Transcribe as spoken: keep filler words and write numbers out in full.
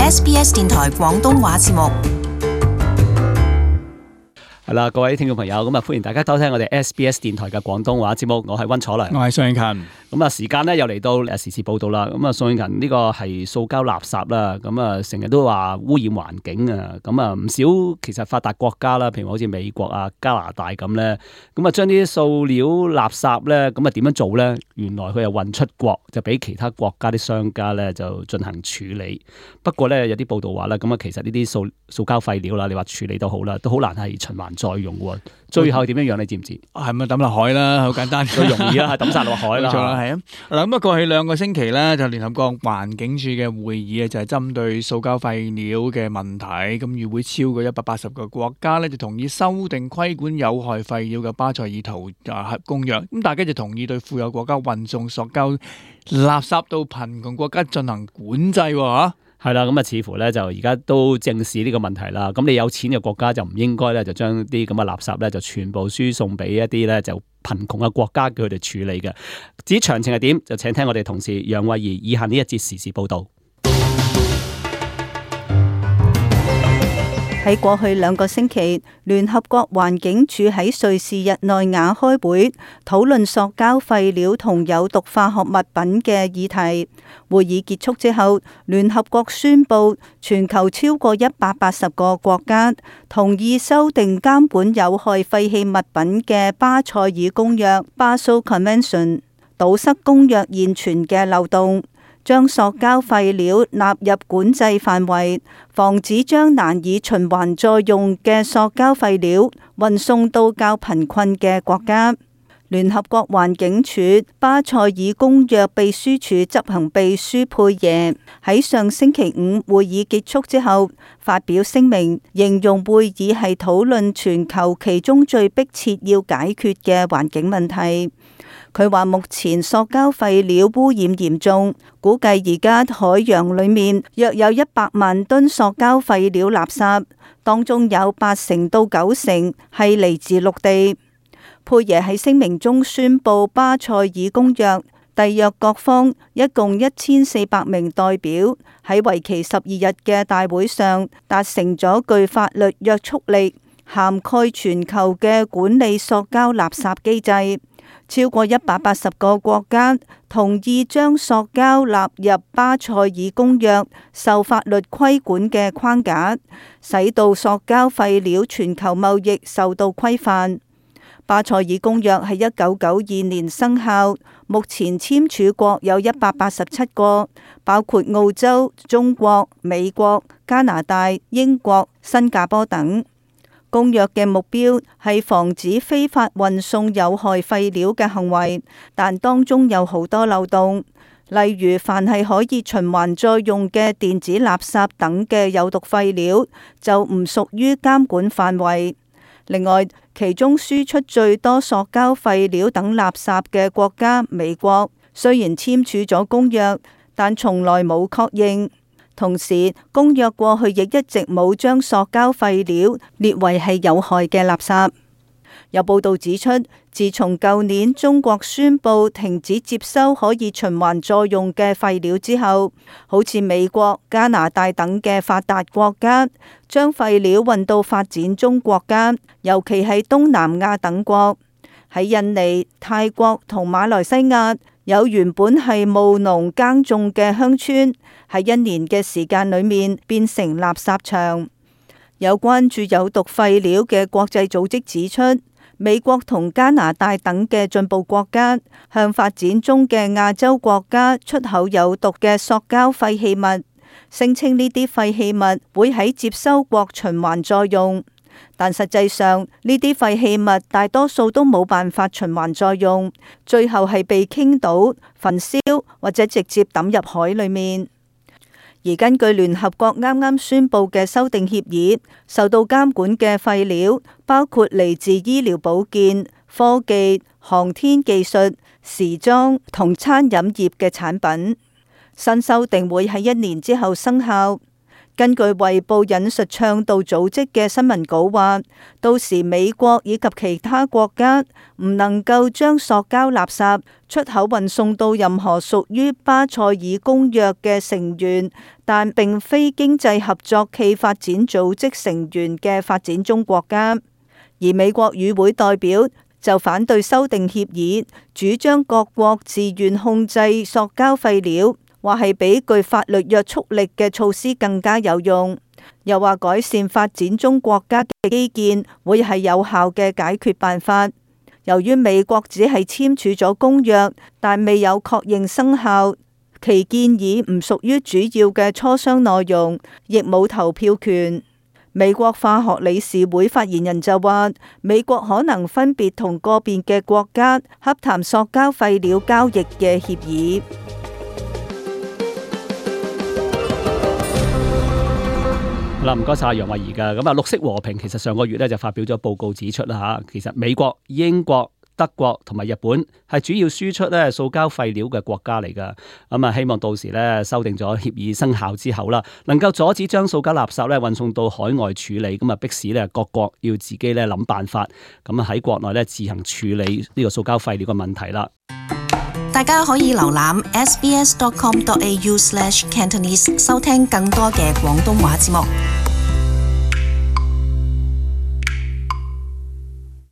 S B S 電台廣東話節目。係啦，各位聽眾朋友，咁啊歡迎大家收聽我哋 S B S 電台嘅廣東話節目，我係溫楚良，我係宋永勤。咁啊，時間咧又嚟到誒時事報道啦。咁啊，宋永勤呢個係塑膠垃圾啦，咁啊成日都話污染環境啊。咁啊唔少其實發達國家啦，譬如好似美國啊、加拿大咁咧，咁啊將啲塑料垃圾咧，咁啊點樣做咧？原來佢又運出國，就俾其他國家啲商家咧就進行處理。不過咧有啲報道話咧，咁啊其實呢啲塑塑膠廢料啦，你話處理都好啦，都好難係循環再用喎。最後點樣樣你知唔知？係咪抌落海啦？好簡單，最容易啦，係抌晒落海啦。冇錯啦，係啊。嗱咁啊，過去兩個星期咧，就聯合國環境署嘅會議啊，就係針對塑膠廢料嘅問題。咁與會超過一百八十個國家咧，就同意修訂規管有害廢料嘅巴塞爾圖啊公約。咁大家就同意對富有國家運送塑膠垃圾到貧窮國家進行管制喎嚇。係啦，咁啊，似乎咧就而家都正視呢個問題啦。咁你有錢嘅國家就唔應該咧，就將啲咁嘅垃圾咧就全部輸送俾一啲咧就貧窮嘅國家，叫佢哋處理嘅。至於詳情係點，就請聽我哋同事楊慧儀以下呢一節時事報道。喺過去兩個星期，聯合國環境署喺瑞士日內瓦開會，討論塑膠廢料同有毒化學物品嘅議題。會議結束之後，聯合國宣布全球超過一百八十個國家同意修訂監管有害廢棄物品嘅巴塞爾公約 （Basel Convention）， 堵塞公約現存嘅漏洞，將塑膠廢料納入管制範圍，防止將難以循環再用嘅塑膠廢料運送到較貧困嘅國家。聯合國環境署巴塞爾公約秘書處執行秘書佩耶喺上星期五會議結束之後發表聲明，形容會議係討論全球其中最迫切要解決嘅環境問題。佢話目前塑膠廢料污染嚴重，估計而家海洋裏面約有一百萬噸塑膠廢料垃圾，當中有八成到九成係嚟自陸地。佩耶喺聲明中宣布，巴塞爾公約締約各方一共一千四百名代表喺為期十二日嘅大會上達成咗具法律約束力、涵蓋全球嘅管理塑膠垃圾機制。超過一百八十個國家同意將塑膠納入巴塞爾公約受法律規管嘅框架，使到塑膠廢料全球貿易受到規範。巴塞爾公約喺一九九二年生效，目前簽署國有一百八十七個，包括澳洲、中國、美國、加拿大、英國、新加坡等。公約嘅目標係防止非法運送有害廢料嘅行為，但當中有好多漏洞，例如凡係可以循環再用嘅電子垃圾等嘅有毒廢料就唔屬於監管範圍。另外，其中輸出最多塑膠廢料等垃圾嘅國家美國，雖然簽署咗公約，但從來冇確認。同時，公約過去亦一直冇將塑膠廢料列為係有害嘅垃圾。有報道指出，自從舊年中國宣布停止接收可以循環再用嘅廢料之後，好似美國、加拿大等嘅發達國家將廢料運到發展中國家，尤其係東南亞等國。喺印尼、泰國同馬來西亞，有原本係務農耕種嘅鄉村，喺一年嘅時間裏面變成垃圾場。有關注有毒廢料嘅國際組織指出，美國同加拿大等嘅進步國家向發展中嘅亞洲國家出口有毒嘅塑膠廢棄物，聲稱呢啲廢棄物會喺接收國循環再用，但實際上呢啲廢棄物大多數都冇辦法循環再用，最後係被傾倒、焚燒或者直接抌入海裏面。而根據聯合國啱啱宣布嘅修訂協議，受到監管嘅廢料包括嚟自醫療保健、科技、航天技術、時裝同餐飲業嘅產品。新修訂會喺一年之後生效。根據衛報引述倡導組織嘅新聞稿話，到時美國以及其他國家唔能夠將塑膠垃圾出口運送到任何屬於巴塞爾公約嘅成員，但並非經濟合作暨發展組織成員嘅發展中國家。而美國與會代表就反對修訂協議，主張各國自願控制塑膠廢料，話係比具法律約束力嘅措施更加有用。又話改善發展中國家嘅基建會係有效嘅解決辦法。由於美國只係簽署咗公約，但未有確認生效，其建議唔屬於主要嘅磋商內容，亦冇投票權。美國化學理事會發言人就話，美國可能分別同個別嘅國家洽談塑膠廢料交易嘅協議。好啦，唔該晒楊慧儀噶。咁啊，綠色和平其實上個月咧就發表咗報告指出啦吓，其實美國、英國、德國同埋日本係主要輸出咧塑膠廢料嘅國家嚟噶。咁啊，希望到時咧修訂咗協議生效之後啦，能夠阻止將塑膠垃圾咧運送到海外處理，咁啊迫使咧各國要自己咧諗辦法，咁啊喺國內咧自行處理呢個塑膠廢料嘅問題啦。大家可以瀏覽 s b s dot com dot a u slash cantonese 收聽更多嘅廣東話節目。